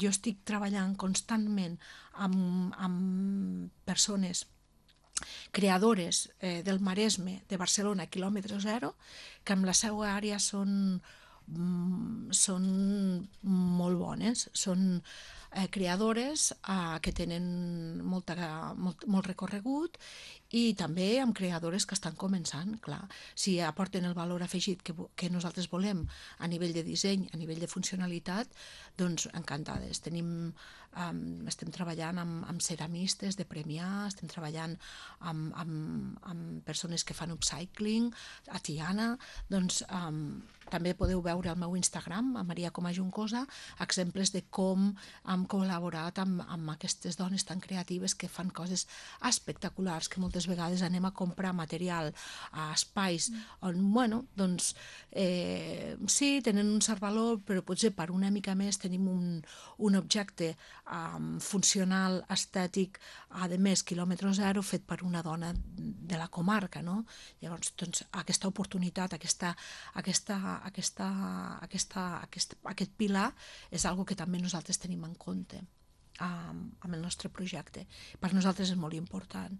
jo estic treballant constantment amb persones creadores del Maresme, de Barcelona, quilòmetre zero, que amb la seva àrea són molt bones, són creadores que tenen molt recorregut, i també amb creadores que estan començant, clar. Si aporten el valor afegit que nosaltres volem a nivell de disseny, a nivell de funcionalitat, doncs encantades. Estem treballant amb ceramistes de Premià, estem treballant amb persones que fan upcycling, a Tiana, doncs també podeu veure al meu Instagram, a Maria Coma Juncosa, exemples de com hem col·laborat amb aquestes dones tan creatives que fan coses espectaculars, que moltes vegades anem a comprar material a espais on, bueno, doncs sí, tenen un cert valor, però potser per una mica més tenim un objecte funcional, estètic, a més, quilòmetre zero, fet per una dona de la comarca, no? Llavors, doncs, aquesta oportunitat, aquest pilar és algo que també nosaltres tenim en compte amb el nostre projecte. Per nosaltres és molt important.